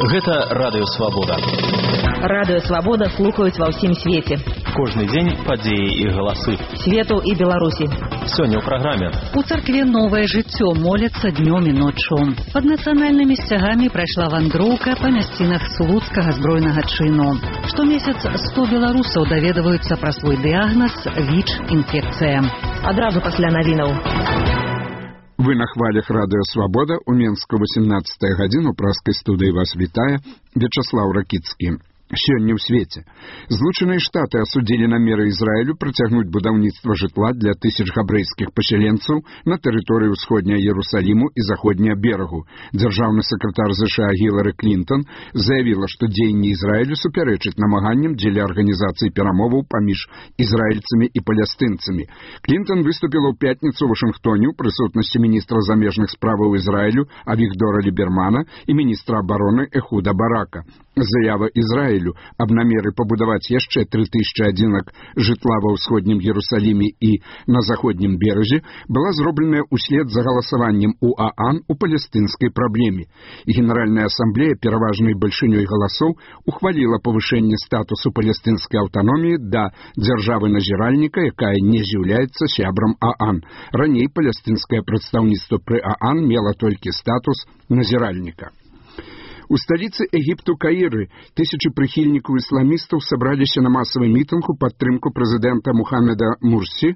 Гэта радыёвабода. Радыёвабода слухаюць ва ўсім свеце. Кожны дзень падзеі і галасы. Свету і Беларусі. Сёння ў праграме. У царкве новае жыццё моляцца днём і ноччу. Пад нацыянальнымі сцягамі прайшла вандроўка па мясцінах Слуцкага збройнага чыну. Штомесяц 100 беларусаў даведваюцца пра свой дыягназ ВІЧ-інфекцыя. Адразу пасля навінаў. Вы на хвалях Радыё Свабода. У Менску 18 гадзіну праскай студыі вас вітае Вячаслаў Ракіцкі. Сёння ў свеце. Злучаныя Штаты асудзілі намеры Ізраілю працягнуць будаўніцтва жытла для тысяч габрэйскіх пасяленцаў на тэрыторыі ўсходняя Ерусаліму і заходняя берагу. Дзяржаўны сакратар ЗША Гілары Клінтон заявіла, што дзеянні Ізраілю супярэчаць намаганням дзеля арганізацыі перамоваў паміж ізраільцамі і палестынцамі. Клінтон выступіла ў пятніцу ў Вашынгтоне ў прысутнасці міністра замежных справаў Ізраілю Авігдора Лібермана і міністра абароны Эхуда Барака. Заява Ізраілю аб намеры пабудаваць яшчэ 3000 адзінак жытла ва ўсходнім Ерусаліме і на заходнім беразе была зробленая ўслед за галасаваннем у ААН у палестынскай праблеме. І Генеральная асамблея пераважнай бальшынёй галасоў ухваліла павышэнне статусу палестынскай аўтаноміі да дзяржавы-назіральніка, якая не з'яўляецца сябрам ААН. Раней палестынскае прадстаўніцтва пры ААН мела толькі статус назіральніка. У сталіцы Егіпту Каіры тысячы прыхільнікаў ісламістаў сабраліся на масавы мітынг у падтрымку прэзідэнта Мухаммеда Мурсі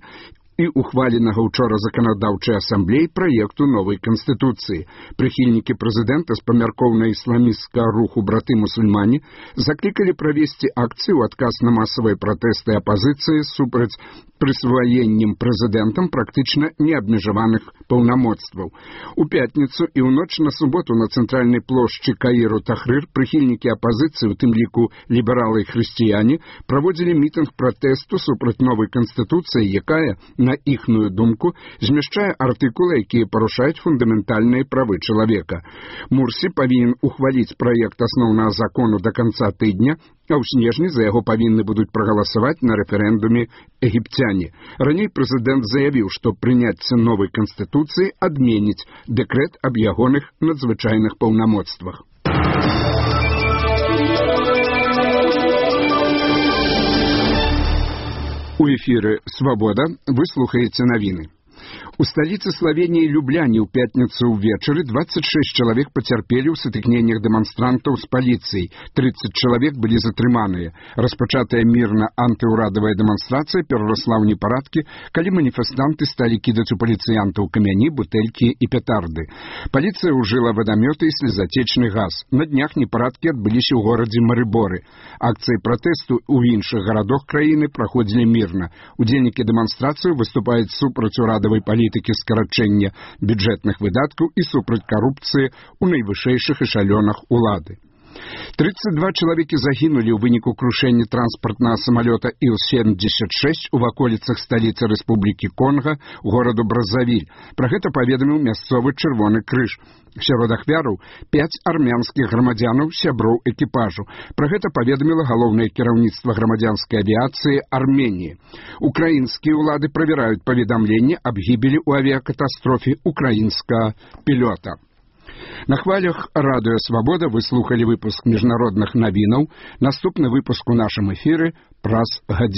і ухваленага ўчора заканадаўчай асамблеі праекту новай канстытуцыі. Прыхільнікі прэзідэнта з памяркоўна-ісламісцкага руху браты-мусульмане заклікалі правесці акцыю ў адказ на масавыя пратэсты апазіцыі супраць прысваеннем прэзідэнтам практычна неабмежаваных паўнамоцтваў. У пятніцу і ў ноч на суботу на цэнтральнай плошчы Каіру Тахрыр прыхільнікі апазіцыі, у тым ліку лібералы і хрысціяне, праводзілі мітынг пратэсту супраць новай канстытуцыі, якая, на іхную думку, змяшчае артыкулы, якія парушаюць фундаментальныя правы чалавека. Мурсі павінен ухваліць праект асноўнага закону да канца тыдня, а ў снежні за яго павінны будуць прагаласаваць на рэферэндуме егіпцяне. Раней прэзідэнт заявіў, што прыняцце новай канстытуцыі адменіць дэкрэт аб ягоных надзвычайных паўнамоцтвах. У эфіры «Свабода» вы слухаеце навіны. У сталіцы Славеніі Любляне ў пятніцу ўвечары 26 чалавек пацярпелі ў сутыкненнях дэманстрантаў з паліцыяй. 30 чалавек былі затрыманыя. Распачатая мірна антыўрадавая дэманстрацыя перарасла ў непарадкі, калі маніфестанты сталі кідаць у паліцыянтаў камяні, бутэлькі і петарды. Паліцыя ўжыла вадамёты і слезатечны газ. На днях непарадкі адбыліся ў горадзе Марыборы. Акцыі пратэсту ў іншых гарадах краіны праходзілі мірна. Удзельнікі дэманстрацыі выступаюць супраць урадавай палітыкі скарачэння бюджэтных выдаткаў і супраць карупцыі ў найвышэйшых эшалёнах улады. 32 чалавекі загінулі ў выніку крушэння транспартнага самалёта Іл-76 у ваколіцах сталіцы Рэспублікі Конга, гораду Бразавіль. Пра гэта паведаміў мясцовы Чырвоны крыж. Сярод ахвяраў 5 армянскіх грамадзянаў, сяброў экіпажу. Пра гэта паведаміла галоўнае кіраўніцтва грамадзянскай авіяцыі Арменіі. Украінскія ўлады правяраюць паведамленне аб гібелі ў авіякатастрофе украінскага пілёта. На хвалях Радыё Свабода вы слухалі выпуск міжнародных навінаў. Наступны выпуск у нашым эфіры праз гадзіну.